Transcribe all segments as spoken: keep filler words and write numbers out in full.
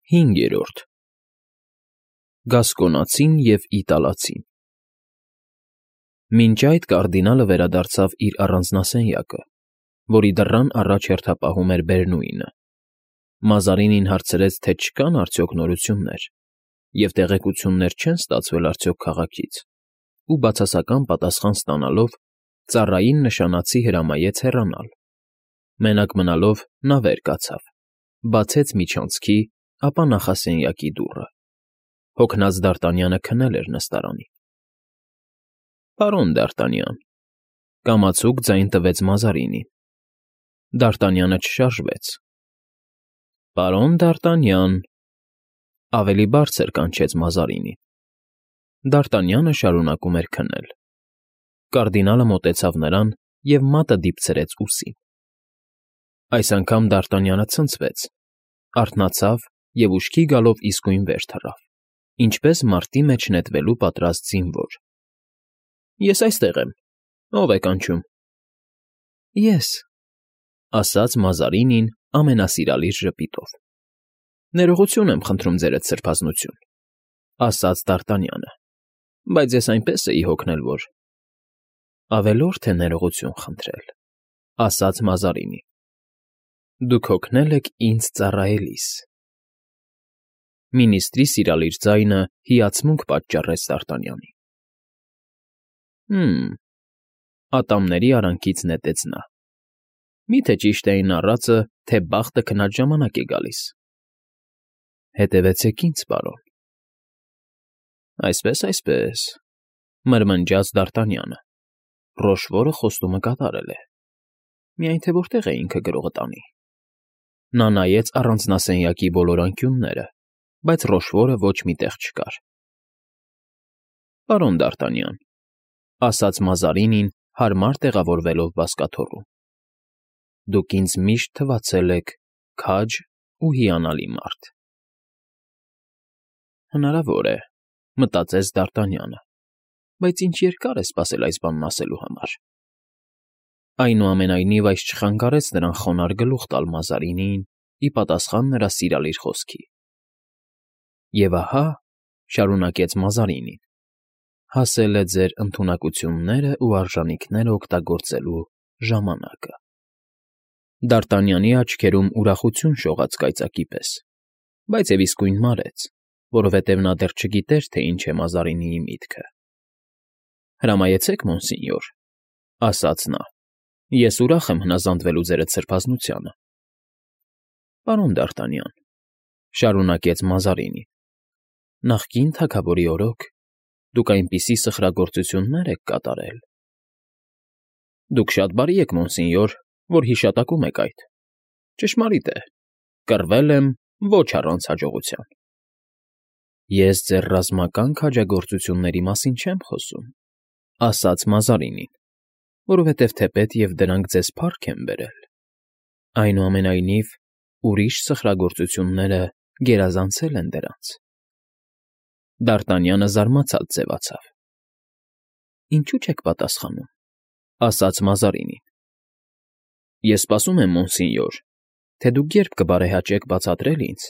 Հինգերորդ Գասկոնացին և Իտալացին Մինչ այդ կարդինալը վերադարձավ իր առանձնասենյակը, որի դռան առաջ հերթապահում էր Բերնուինը, Մազարինին հարցրեց, թե չկան արդյոք նորություններ և տեղեկություններ չեն ստացվել արդյոք քաղաքից, ու բացասական պատասխան ստանալով, ծառային նշանացի հրամայեց հեռանալ. մենակ մնալով նա վեր կացավ, բացեց միջանցքի, ապա նախասենյակի դուռը. հոգնած Դարտանյանը քնել էր նստարանին։ ֊ Պարոն Դ'Արտանյան,֊ կամացուկ ձայն տվեց Մազարինին։ Դ'Արտանյանը չշարժվեց։ ֊ Պարոն Դ'Արտանյան,֊ ավելի բարձր կանչեց Մազարինին։ Դ'Արտանյանը շարունակում էր քնել։ Կարդինալը մոտեցավ նրան և մատը դիպցրեց ուսին։ Այս անգամ Դ'Արտանյանը ցնցվեց, արթնացավ և ուշքի գալով իսկույն վեր թռավ, ինչպես մարտի մեջ նետվելու պատրաստ զինվոր։ ֊ Ես այստեղ եմ, ո՞վ է կանչում։ ֊ Ես,֊ ասաց Մազարինին ամենասիրալիր ժպիտով։ ֊ Ներողություն եմ խնդրում, ձերդ սրբազնություն,֊ ասաց Դ'Արտանյանը,֊ բայց ես այնպես էի հոգնել, որ… ֊ Ավելորդ է ներողություն խնդրել,֊ ասաց Մազարինին,֊ դուք հոգնել եք ինձ ծառայելիս… Մինիստրի սիրալիր ձայնը հիացմունք պատճառեց Դ'Արտանյանին։ ֊ Հը՛մ,֊ ատամների արանքից նետեց նա,֊ մի՞թե ճիշտ է այն առածը, թե բախտը քնած ժամանակ է գալիս։ ֊ Հետևեցեք ինձ, պարոն։ ֊ Այսպես, այսպես,֊ մրմնջաց Դ'Արտանյանը,֊ Ռոշվորը խոստումը կատարել է… Միայն թե որտե՞ղ է ինքը գրողը տանի։ Նա նայեց առանձնասենյակի բոլոր անկյունները, բայց Ռոշվորը ոչ մի տեղ չկար։ ֊ Պարոն Դ'Արտանյան,֊ ասաց Մազարինին, հարմար տեղավորվելով բազկաթոռում,֊ դուք ինձ միշտ թվացել եք քաջ ու հիանալի մարդ։ Հնարավոր է,֊ մտածեց Դ'Արտանյանը,֊ բայց ինչ երկար է սպասել այս բանն ասելու համար։ Այնուամենայնիվ այս չխանգարեց նրան խոնարհ գլուխ տալ Մազարինիին ի պատասխան նրա սիրալիր խոսքի։ Եվ ահա,֊ շարունակեց Մազարինին,֊ հասել է ձեր ընդունակություններն ու արժանիքները օգտագործելու ժամանակը… Դ'Արտանյանի աչքերում ուրախություն շողաց կայծակի պես, բայց և իսկույն մարեց, որովհետև նա դեռ չգիտեր, թե ինչ է Մազարինիի միտքը։ ֊ Հրամայեցեք, մոնսինյոր,֊ ասաց նա,֊ ես ուրախ եմ հնազանդվելու ձերդ սրբազնությանը։ ֊ Պարոն Դ'Արտանյան,֊ շարունակեց Մազարինին,֊ նախկին թագավորի օրոք դուք այնպիսի սխրագործություններ եք կատարել… Դուք շատ բարի եք, մոնսինյոր, որ հիշատակում եք այդ… Ճշմարիտ է, կռվել եմ ոչ առանց հաջողության… Ես ձեր ռազմական քաջագործությունների մասին չեմ խոսում,֊ ասաց Մազարինին,֊ որովհետև թեպետ և դրանք ձեզ փառք են բերել… Այնուամենայնիվ, ուրիշ սխրագործությունները գերազանցել են դրանց… Դ'Արտանյանը զարմացած ձևացավ։ ֊ Ինչո՞ւ չեք պատասխանում,֊ ասաց Մազարինին։ ֊ Ես սպասում եմ, մոնսինյոր, թե դուք երբ կբարեհաճեք բացատրել ինձ,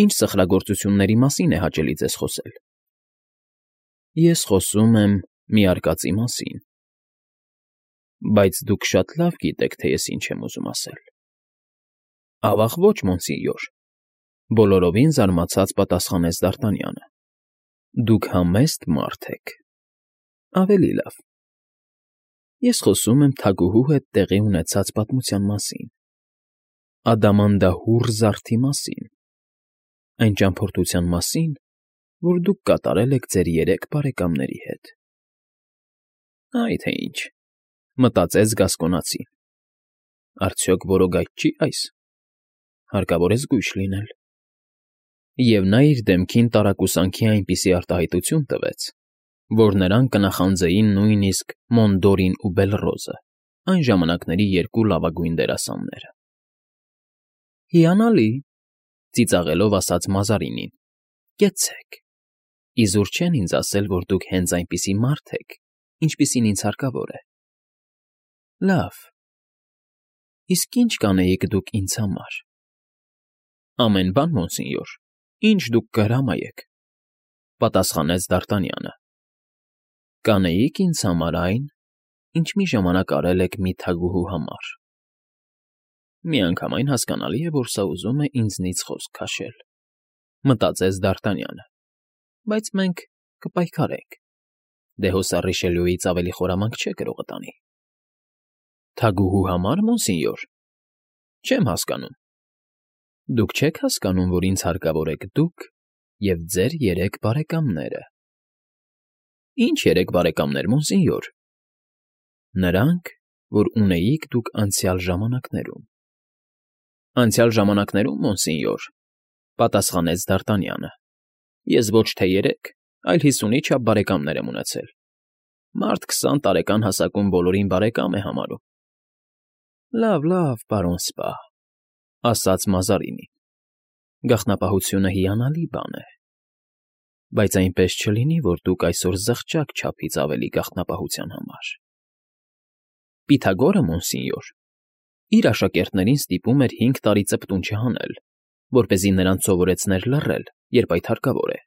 ինչ սխրագործությունների մասին է հաճելի ձեզ խոսել։ ֊ Ես խոսում եմ մի արկածի մասին… Բայց դուք շատ լավ գիտեք, թե ես ինչ եմ ուզում ասել։ ֊ Ավա՜ղ ոչ, մոնսինյոր,֊ բոլորովին զարմացած պատասխանեց Դ'Արտանյանը,֊ դուք համեստ մարդ եք… Ավելի լավ, ես խոսում եմ թագուհու հետ տեղի ունեցած պատմության մասին, ադամանդահուռ զարդի մասին, այն ճամփորդության մասին, որ դուք կատարել եք ձեր երեք բարեկամների հետ… Այ թե ինչ,֊ մտածեց Գասկոնացին,֊ արդյոք որոգայթ չի՞ այս, հարկավոր է զգույշ լինել… Եվ նա իր դեմքին տարակուսանքի այնպիսի արտահայտություն տվեց, որ նրան կնախանձեին նույնիսկ Մոնդորին ու Բելռոզը, այն ժամանակների երկու լավագույն դերասանները։ ֊ Հիանալի,֊ ծիծաղելով ասաց Մազարինին,֊ կեցցեք… Իզուր չեն ինձ ասել, որ դուք հենց այնպիսի մարդ եք, ինչպիսին ինձ հարկավոր է… Լավ… Իսկ ի՞նչ կանեիք դուք ինձ համար։ ֊ Ամեն բան, մոնսինյոր, Ինչ դուք կհրամայեք,֊ պատասխանեց Դ'Արտանյանը։ Կանեիք ինձ համար այն, ինչ մի ժամանակ արել եք մի թագուհու համար։ Միանգամայն հասկանալի է, որ սա ուզում է ինձնից խոսք քաշել,֊ մտածեց Դ'Արտանյանը, բայց մենք կպայքարենք, դե հուսա Ռիշելյուից ավելի խորամանկ չէ գրողը տանի։ Թագուհու համար, մոնսինյոր, չեմ հասկանում։ Դուք չեք հասկանում, որ ինձ հարկավոր եք դուք և ձեր երեք բարեկամները։ Ինչ երեք բարեկամներ, մոնսինյոր։ Նրանք, որ ունեիք դուք անցյալ ժամանակներում։ Անցյալ ժամանակներում, մոնսինյոր, պատասխանեց Դ'Արտանյանը, ես ոչ թե երեք, այլ հիսունի չափ բարեկամներ եմ ունեցել։ Մարդ քսան տարեկան հասակում բոլորին բարեկամ է համարում։ Լավ, լավ, պարոն Սպա, ասաց Մազարինին, գաղտնապահությունը հիանալի բան է, բայց այնպես չլինի, որ դուք այսօր զղջաք չափից ավելի գաղտնապահության համար։ Պիթագորը, մոնսինյոր, իր աշակերտներին ստիպում էր հինգ տարի ծպտուն չհանել, որպեսզի նրանց սովորեցներ լռել, երբ այդ հարկավոր է։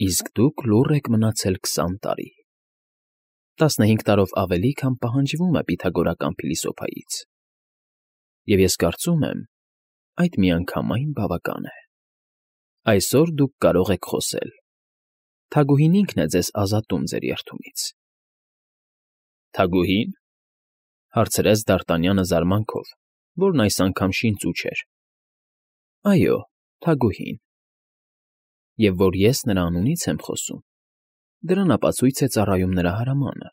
Իսկ դուք լուռ եք մնացել քսան տարի։ Տասնհինգ տարով ավելի, քան պահանջվում է պիթագորական փիլիսոփայից։ Եվ ես կարծում եմ, այդ միանգամայն բավական է։ Այսօր դուք կարող եք խոսել։ Թագուհին ինքն է ձեզ ազատում ձեր երդումից։ Թագուհի՞ն,֊ հարցրեց Դ'Արտանյանը զարմանքով, որն այս անգամ շինծու չէր։ Այո, թագուհին։ Եվ որ ես նրա անունից եմ խոսում, դրան ապացույց է ծառայում նրա հրամանը՝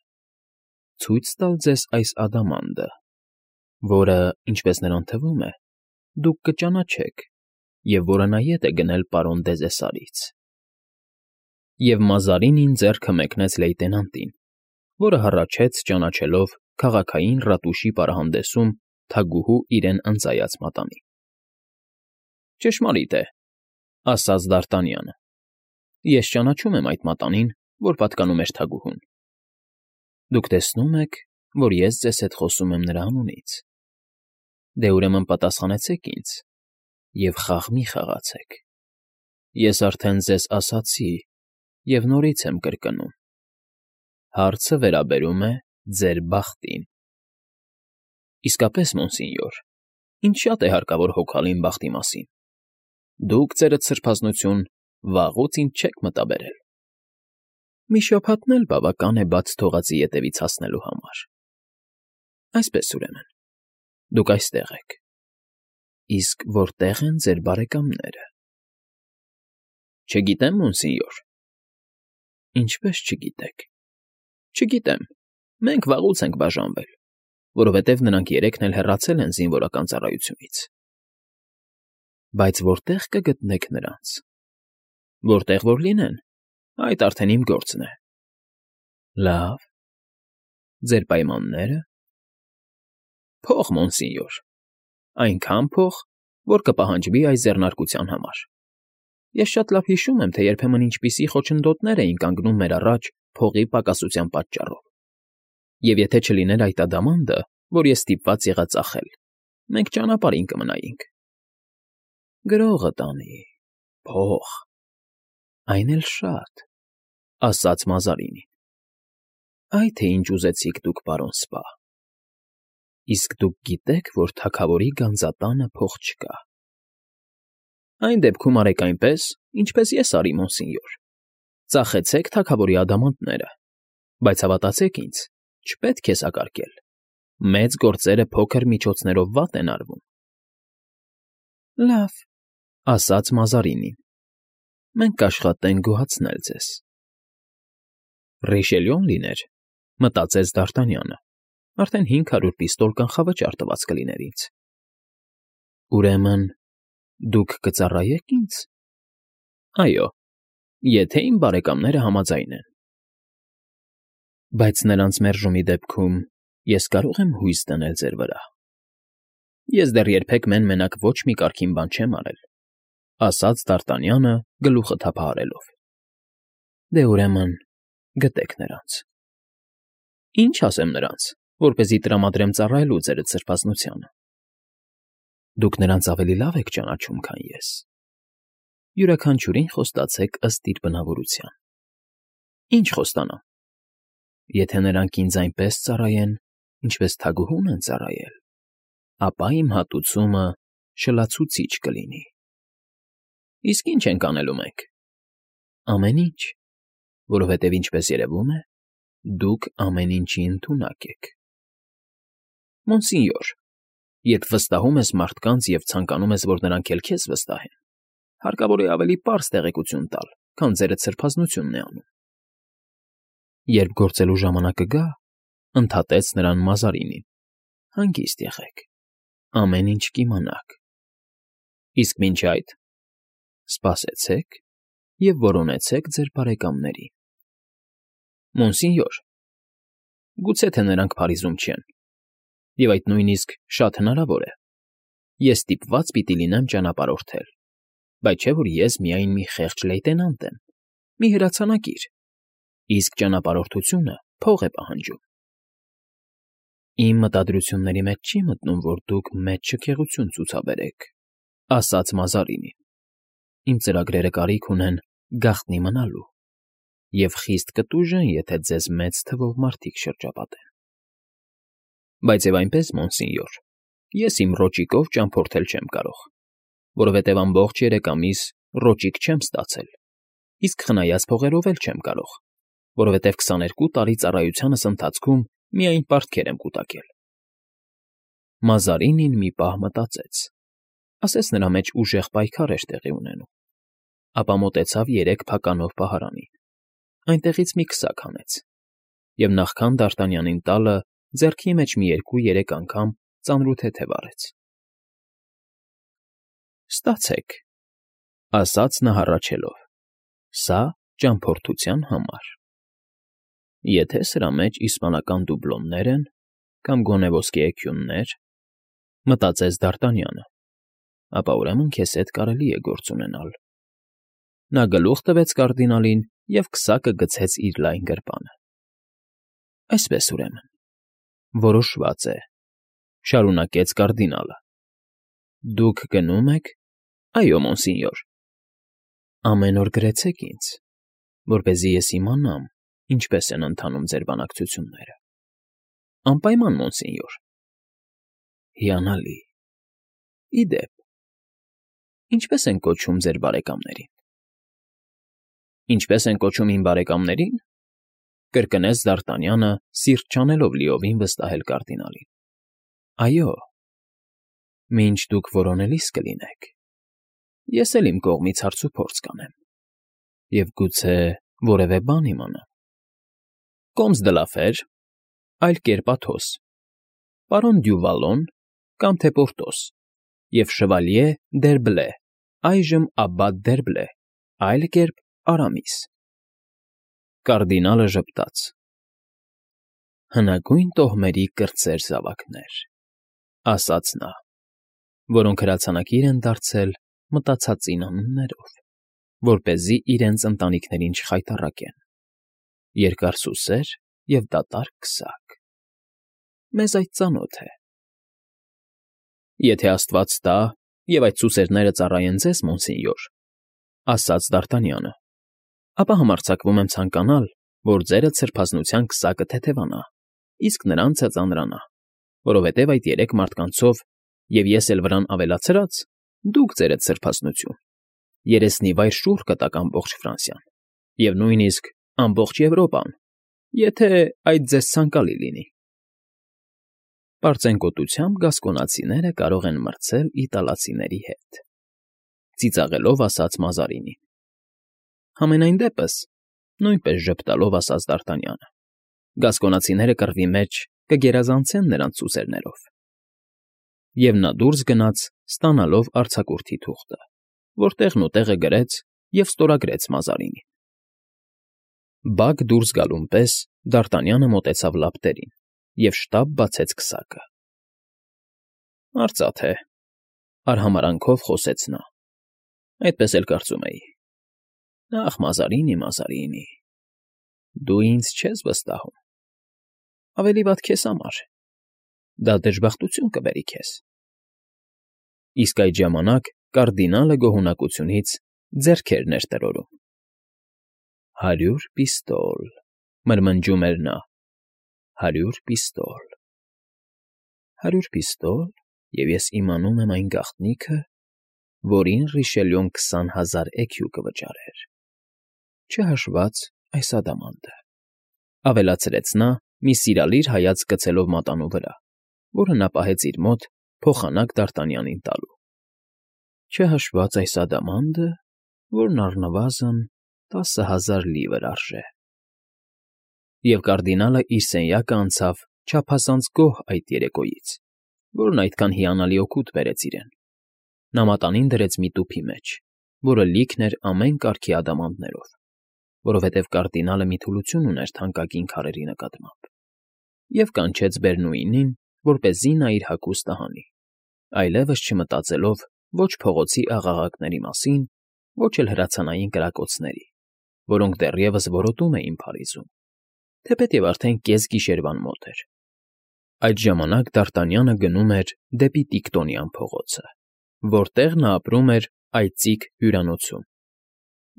ցույց տալ ձեզ այս ադամանդը, որը, ինչպես նրան թվում է, դուք կճանաչեք և որը նա ետ է գնել պարոն Դեզեսարից։ Եվ Մազարինին ձեռքը մեկնեց լեյտենանտին, որը հառաչեց, ճանաչելով քաղաքային ռատուշի պարահանդեսում թագուհու իրեն ընծայած մատանին։ Ճշմարիտ է,֊ ասաց Դ'Արտանյանը, ես ճանաչում եմ այդ մատանին, որ պատկանում էր թագուհուն։ Դուք տեսնում եք, որ ես ձեզ հետ խոսում եմ նրա անունից։ Դե ուրեմն պատասխանեցեք ինձ և խաղ մի խաղացեք։ Ես արդեն ձեզ ասացի և նորից եմ կրկնում. հարցը վերաբերում է ձեր բախտին։ Իսկապես, մոնսինյոր, ինձ շատ է հարկավոր հոգալ իմ բախտի մասին։ Դուք, ձերդ սրբազնություն, վաղուց ինձ չեք մտաբերել։ Մի շաբաթն էլ բավական է բաց թողածի ետևից հասնելու համար։ Այսպես, ուրեմն, դուք այստեղ եք։ Իսկ որտե՞ղ են ձեր բարեկամները։ Չգիտեմ, մոնսինյոր։ Ինչպես չգիտեք։ Չգիտեմ, մենք վաղուց ենք բաժանվել, որովհետև նրանք երեքն էլ հեռացել են զինվորական ծառայությունից։ Բայց որտե՞ղ կգտնեք նրանց։ Որտեղ որ լինեն, այդ արդեն իմ գործն է։ Լավ։ Ձեր պայմաննե՞րը։ Փող, մոնսինյոր, այնքան փող, որ կպահանջվի այս ձեռնարկության համար։ Ես շատ լավ հիշում եմ, թե երբեմն ինչպիսի խոչընդոտներ էին կանգնում մեր առաջ փողի պակասության պատճառով։ Եվ եթե չլիներ այդ ադամանդը, որ ես ստիպված եղա ծախել, մենք ճանապարհին կմնայինք։ Գրողը տանի, փող, այն էլ շատ, ասաց Մազարինին։ Այ թե ինչ ուզեցիք դուք, պարոն Սպա։ Իսկ դուք գիտեք, որ թագավորի գանձատանը փող չկա։ Այն դեպքում արեք այնպես, ինչպես ես արի, մոնսինյոր։ Ծախեցեք թագավորի ադամանդները, բայց հավատացեք ինձ, չպետք է սակարկել։ Մեծ գործերը փոքր միջոցներով վատ են արվում։ Լավ, ասաց Մազարինին, մենք կաշխատենք գոհացնել ձեզ։ Ռիշելյուն լիներ, մտածեց Դ'Արտանյանը, արդեն հինգ հարյուր պիստոլ կանխավճար տված կլիներ ինձ։ Ուրեմն դուք կծառայե՞ք ինձ։ Այո, եթե իմ բարեկամները համաձայն են։ Բայց նրանց մերժումի դեպքում ես կարող եմ հույս դնել ձեր վրա։ Ես դեռ երբեք մեն֊մենակ ոչ մի կարգին բան չեմ արել, ասաց Դ'Արտանյանը գլուխը թափահարելով։ Դե ուրեմն գտեք նրանց։ Ինչ ասեմ նրանց, որպեսզի տրամադրեմ ծառայելու ձերդ սրբազնությանը։ Դուք նրանց ավելի լավ եք ճանաչում, քան ես։ Յուրաքանչյուրին խոստացեք ըստ իր բնավորության։ Ինչ խոստանամ։ Եթե նրանք ինձ այնպես ծառայեն, ինչպես թագուհուն են ծառայել, ապա իմ հատուցումը շլացուցիչ կլինի։ Իսկ ի՞նչ ենք անելու մենք։ Ամեն ինչ, որովհետև ինչպես երևում է, դուք ամեն ինչի ընդունակ եք։ Մոնսինյոր, երբ վստահում ես մարդկանց և ցանկանում ես, որ նրանք էլ քեզ վստահեն, հարկավոր է ավելի պարզ տեղեկություն տալ, քան ձերդ սրբազնությունն է անում։ Երբ գործելու ժամանակը գա, ընդհատեց նրան Մազարինին, հանգիստ եղեք, ամեն ինչ կիմանաք։ Իսկ մինչ այդ սպասեցեք և որոնեցեք ձեր բարեկամներին։ Մոնսինյոր, գուցե թե նրանք Փարիզում չեն, և այդ նույնիսկ շատ հնարավոր է, ես ստիպված պիտի լինեմ ճանապարհորդել, բայց չէ՞ որ ես միայն մի խեղճ լեյտենանտ եմ, մի հրացանակիր, իսկ ճանապարհորդությունը փող է պահանջում։ Իմ մտադրությունների մեջ չի մտնում, որ դուք մեծ շքեղություն ցուցաբերեք, ասաց Մազարինին։ Իմ ծրագրերը կարիք ունեն գաղտնի մնալու և խիստ կտուժեն, եթե ձեզ մեծ թվով մարդիկ շրջապատեն։ Բայց և այնպես, մոնսինյոր, ես իմ ռոճիկով ճամփորդել չեմ կարող, որովհետև ամբողջ երեք ամիս ռոճիկ չեմ ստացել, իսկ խնայած փողերով էլ չեմ կարող, որովհետև քսաներկու տարի ծառայությանս ընթացքում միայն պարտքեր եմ կուտակել։ Մազարինին մի պահ մտածեց, ասես նրա մեջ ուժեղ պայքար էր տեղի ունենում, ապա մոտեցավ երեք փականով պահարանին, այնտեղից մի քսակ հանեց և նախքան Դ'Արտանյանին տալը ձեռքի մեջ մի երկու֊երեք անգամ ծանրութեթև արեց։ Ստացեք, ասաց նա հառաչելով, սա ճամփորդության համար։ Եթե սրա մեջ իսպանական դուբլոններ են կամ գոնե ոսկե էքյուններ, մտածեց Դ'Արտանյանը, ապա ուրեմն քեզ հետ կարելի է գործ ունենալ։ Նա գլուխ տվեց կարդինալին և քսակը գցեց իր լայն գրպանը։ Այսպես, ուրեմն, որոշված է, շարունակեց կարդինալը։ Դուք գնում եք։ Այո, մոնսինյոր։ Ամեն օր գրեցեք ինձ, որպեսզի ես իմանամ, ինչպես են ընթանում ձեր բանակցությունները։ Անպայման, մոնսինյոր։ Հիանալի։ Ի դեպ, ինչպե՞ս են կոչում ձեր բարեկամներին։ Ինչպե՞ս են կոչում իմ բարեկամներին, կրկնեց Դ'Արտանյանը, սիրտ չանելով լիովին վստահել կարդինալին։ Այո, մինչ դուք որոնելիս կլինեք, ես էլ իմ կողմից հարցուփորձ կանեմ և գուցե որևէ բան իմանամ։ Կոմս դը Լաֆեր, այլ կերպ Աթոս, պարոն Դյուվալոն կամ թե Պորտոս և շվալյե Դ'Երբլե, այժմ աբբատ Դ'Երբլե, այլ կերպ Արամիս։ Կարդինալը ժպտաց։ Հնագույն տոհմերի կրտսեր զավակներ, ասաց նա, որոնք հրացանակիր են դարձել մտածածին անուններով, որպեսզի իրենց ընտանիքներին չխայտառակեն, երկարսուսեր և դատարկ քսակ։ Մեզ այդ ծանոթ է։ Եթե աստված տա, և այդ սուսերները ծառայեն ձեզ, մոնսինյոր, ասաց Դ'Արտանյանը, ապա համարձակվում եմ ցանկանալ, որ ձերդ սրբազնության քսակը թեթևանա, իսկ նրանցը ծանրանա, որովհետև այդ երեք մարդկանցով, և ես էլ վրան ավելացրած, դուք ձերդ սրբազնություն, երեսնիվայր շուռ կտաք ամբողջ Ֆրանսիան, և նույնիսկ ամբողջ Եվրոպան, եթե այդ ձեզ ցանկալի լինի։ Պարծենկոտությամբ գասկոնացիները կարող են մրցել իտալացիների հետ, ծիծաղելով ասաց Մազարինին։ Համենայն դեպս, նույնպես ժպտալով ասաց Դ'Արտանյանը, գասկոնացիները կռվի մեջ կգերազանցեն նրանց սուսերներով։ Եվ նա դուրս գնաց, ստանալով արձակուրդի թուղթը, որ տեղն ու տեղը գրեց և ստորագրեց Մազարինին։ Բակ դուրս գալուն պես Դ'Արտանյանը մոտեցավ լապտերին և շտապ բացեց քսակը։ Արծաթե, արհամարանքով խոսեց նա, այդպես էլ կարծում էի։ Ախ, Մազարինի, Մազարինի, դու ինձ չես վստահում։ Ավելի վատ քեզ համար, դա դժբախտություն կբերի քեզ։ Իսկ այդ ժամանակ կարդինալը գոհունակությունից ձեռքերն էր տրորում։ «Հարյուր պիստոլ», մրմնջում էր նա, «հարյուր պիստոլ… հարյուր պիստոլ, և ես իմանում եմ այն գաղտնիքը, որին Ռիշելյուն քսան հազար էքյու կվճարեր, չհաշված այս ադամանդը», ավելացրեց նա, մի սիրալիր հայացք գցելով մատանու վրա, որը նա պահեց իր մոտ փոխանակ Դ'Արտանյանին տալու, «չհաշված այս ադամանդը, որն առնվազն տասը հազար լիվր արժե»։ Եվ կարդինալը իր սենյակը անցավ չափազանց գոհ այդ երեկոյից, որն այդքան հիանալի օգուտ բերեց իրեն. նա մատանին դրեց մի տուփի մեջ, որը լիքն էր ամեն կարգի ադամանդներով, որովհետև կարդինալը մի թուլություն ուներ թանկագին քարերի նկատմամբ, և կանչեց Բերնուինին, որպեսզի նա իր հագուստը հանի, այլևս չմտածելով ոչ փողոցի աղաղակների մասին, ոչ էլ հրացանային կրակոցների, որոնք դեռևս որոտում էին Փարիզում, թեպետև արդեն կեսգիշերվան մոտ էր։ Այդ ժամանակ Դ'Արտանյանը գնում էր դեպի Տիկտոնյան փողոցը, որտեղ նա ապրում էր այծիկ հյուրանոցում։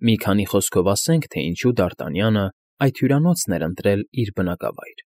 Մի քանի խոսքով ասենք, թե ինչու Դ'Արտանյանը այդ հյուրանոցն էր ընտրել իր բնակավայր։